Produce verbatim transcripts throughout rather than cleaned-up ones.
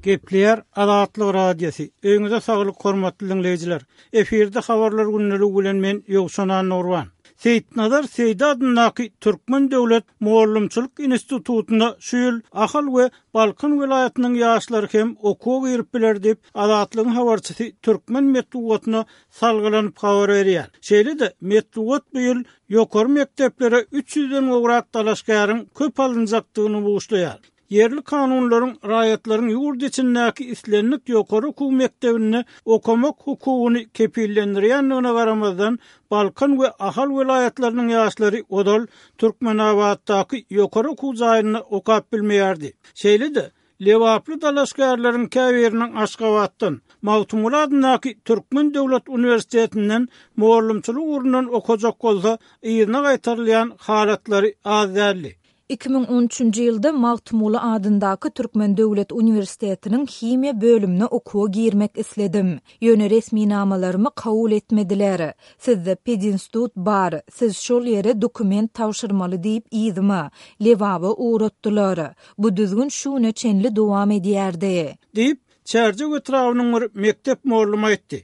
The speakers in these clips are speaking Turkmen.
Gepleýär Azatlyk Radiosy. Öýüňize saglyk hormatly diňleýjiler. Efirde habarlar gündeligi bilen men Ýowşan Annagurban. Seýitnazar Seýdi adyndaky Türkmen döwlet mugallymçylyk institutynda şu ýyl Ahal we Balkan welaýatynyň ýaşlary hem okuwa girip biler diýip, Azatlygyň habarçysy türkmen metbugatyna salgylanyp habar berýär. Şeýle-de metbugat bu ýyl ýokary mekdeplere üç ýüzden gowrak dalaşgäriň köp alynjakdygyny buşlaýar. Ýerli kanunlaryň raýatlaryň ýurt içindäki islendik ýokary okuw mekdebinde okamak hukugyny kepillendirýändigine garamazdan, Balkan we Ahal welaýatlarynyň ýaşlary ozal Türkmenabatdaky ýokary okuw jaýynda okap bilmeýärdi. Şeýle-de, lebaply dalaşgärleriň käbiriniň Aşgabatdan, Magtymguly adyndaky Türkmen döwlet uniwersitetinden mugallymçylyk ugrundan okajak bolsa, yzyna gaýtarylýan halatlary az däldi. Iki müň on üçünji ýylda Magtymguly adyndaky Türkmen döwlet uniwersitetiniň himiýa bölümine okuwa girmek isledim. Ýöne resminamalarymy kabul etmediler. Sizde pedinstitut bar, siz şol ýere dokument tabşyrmaly diýip yzyma, Lebaba ugratdylar. Bu düzgün şu güne çenli dowam edýärdi. Diýip, Çärjew etrabynyň bir mekdep mugallymy aýtdy.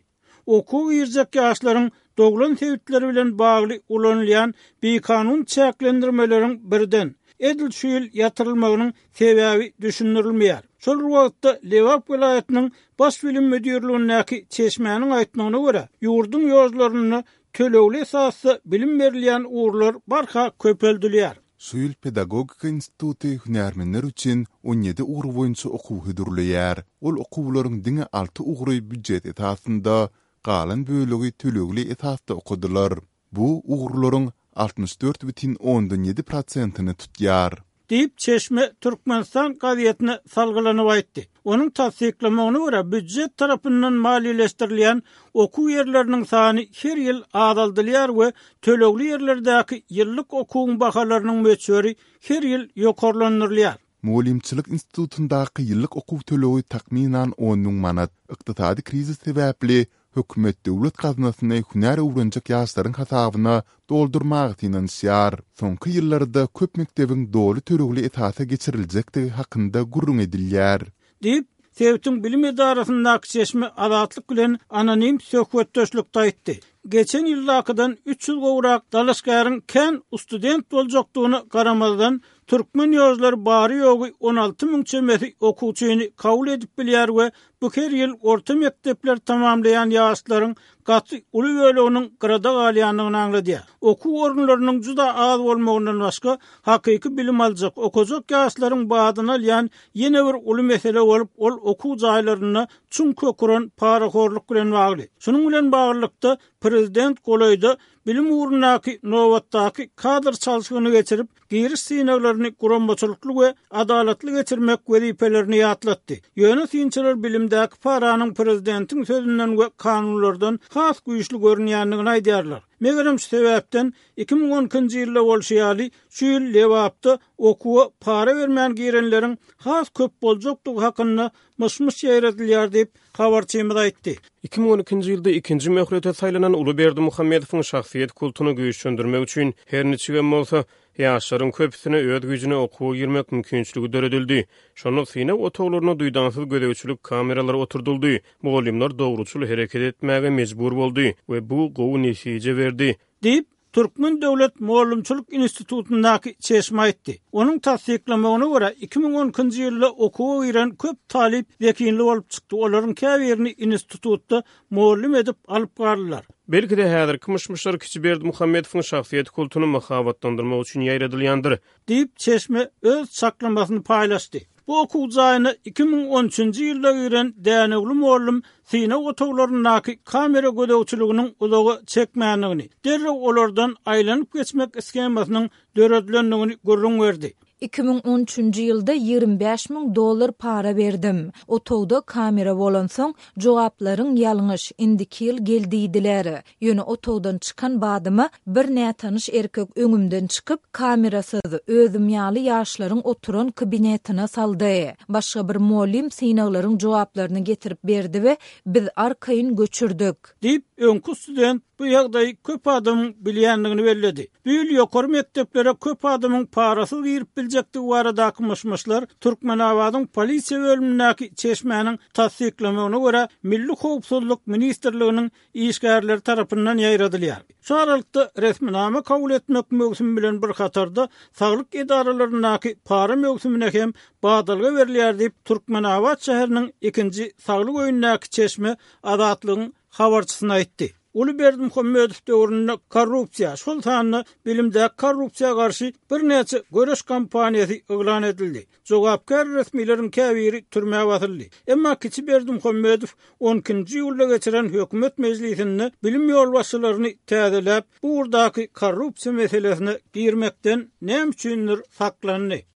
Okuwa girjek ýaşlaryň doglan sebitleri bilen bagly ulanylýan bikanun çäklendirmeleriň birden, edil şu ýyl ýatyrylmagynyň sebäbi düşündirilmeýär. Şol bir wagtda Lebap welaýatynyň Baş bilim müdirligindäki çeşmäniň aýtmagyna görä, ýurduň ýollarynda tölegli esasda bilim berilýän ugurlar barha köpeldilýär. Şu ýyl Pedagogika instituty hünärmenler üçin on ýedi ugur boýunça okuw hödürleýär. Ol okuwlaryň diňe alty ugry býujet esasynda, galan bölegi tölegli esasda okadylar. Bu ugurlaryň altmyş dört bütin ondan ýedi prosentini tutýar. Diýip, çeşme Türkmenistan gazetine salgylanyp aýtdy. Onuň tassyklamagyna görä, býujet tarapyndan maliýeleşdirilýän okuw ýerleriniň sany her ýyl azaldylýar we tölegli ýerlerdäki ýyllyk okuwyň bahalarynyň möçberi her ýyl ýokarlandyrylýar. Mugallymçylyk institutyndaky ýyllyk okuw tölegi takmynan on müň manat. Ykdysady krizis sebäpli hökümet döwlet gaznasyny hünär öwrenjek ýaşlaryň hasabyna doldurmaga synanyşýar. Soňky ýyllarda köp mekdebiň doly tölegli esasa geçiriljekdigi hakynda gürrüň edilýär. Diýip, sebitiň bilim edarasyndaky çeşme Azatlyk bilen anonim söhbetdeşlikde aýtdy. Geçen ýyldakydan üç ýüz gowrak dalaşgäriň kän student boljakdygyna garamazdan, türkmen ýollar bary-ýogy on alty müň çemesi okuwçyny kabul edip bilýär we bu her ýyl orta mekdepler tamamlaýan ýaşlaryň gaty uly böleginiň gyrada galýandygyny aňladýar. Okuw orunlarynyň juda az bolmagyndan başga, hakyky bilim aljak, okajak ýaşlaryň badyny alýan ýene bir uly mesele bolup, ol okuw jaýlarynda çuň köküren parahorluk bilen bagly. Şunuň bilen baglylykda prezident golaýda bilim ugrundaky nobatdaky kadr çalşygyny geçirip, giriş synaglaryny guramaçylykly we adalatly geçirmek wezipelerini ýatlatdy. Ýöne synçylar bilimdäki paranyň prezidentiň sözünden we kanunlardan has güýçli görünýändigini aýdýarlar. Megerem şu sebäpden iki müň on ikinji ýylda bolşy ýaly, şu ýyl Lebapda okuwa para bermän girenleriň has köp boljakdygy hakynda myş-myş ýaýradylýar diýip, habarçymyz aýtdy. Iki müň on ikinji ýylda ikinji möhlete saýlanan Uly Berdimuhamedowyň şahsyýet kultuny güýçlendirmek üçin her niçigem bolsa, ýaşlaryň köpüsine öz güýjüne okuwa girmek mümkinçiligi döredildi. Şonda synag otaglaryna duýdansyz gözegçilik kameralary oturdyldy. Mugallymlar dogruçyl hereket etmäge mejbur boldy we bu gowy netije berdi. Diýip, Türkmen döwlet mugallymçylyk institutyndaky çeşme aýtdy. Onuň tassyklamagyna görä, iki müň on ikinji ýylda okuwa giren köp talyp zehinli bolup çykdy. Olaryň käbirini institutda mugallym edip alyp galdylar. Belki-de häzirki myş-myşlar kiçi Berdimuhamedowyň şahsyýet kultuny mahabatlandyrmak üçin ýaýradylýandyr. Diýip, çeşme öz çaklamasyny paýlaşdy. Bu okuw jaýyna iki müň on üçünji ýylda giren Dänewli mugallym synag otaglaryndaky kamera gözegçiliginiň uzaga çekmändigini, derrew olardan aýlanyp geçmek shemasynyň döredilendigini gürrüň berdi. Iki müň on üçünji ýylda ýigrimi bäş müň dollar para berdim. Otagda kamera bolansoň, jogaplaryň ýalňyş, indiki ýyl gel diýdiler. Ýöne otagdan çykan badyma bir nätanyş erkek öňümden çykyp, kamerasyz, özüm ýaly ýaşlaryň oturan kabinetine saldy. Başga bir mugallym synaglaryň jogaplaryny getirip berdi we biz arkaýyn göçürdik. Diýip, Öňki student bu ýagdaýy köp adamyň bilýändigini belledi. Bu ýyl ýokary mekdeplere köp adamyň parasyz girip biljekdigi baradaky myş-myşlar Türkmenabadyň polisiýa bölümindäki çeşmäniň tassyklamagyna görä, Milli howpsuzlyk ministrliginiň işgärleri tarapyndan ýaýradylýar. Şu aralykda resminama kabul etmek möwsümi bilen bir hatarda saglyk edaralaryndaky para möwsümine hem badalga berilýär diýip, Türkmenabat şäheriniň ikinji saglyk öýündäki çeşme Azatlygyň habarçysyna aýtdy. Uly Berdimuhamedow döwründe korrupsiýa, şol sanda bilimdäki korrupsiýa garşy birnäçe göreş kampaniýasy yglan edildi. Jogapkär resmileriň käbiri türmä basyldy. Emma kiçi Berdimuhamedow on ikinji iýulda geçiren hökümet mejlisinde bilim ýolbaşçylaryny täzeläp, bu ugurdaky korrupsiýa meselesine girmekden näme üçindir saklandy.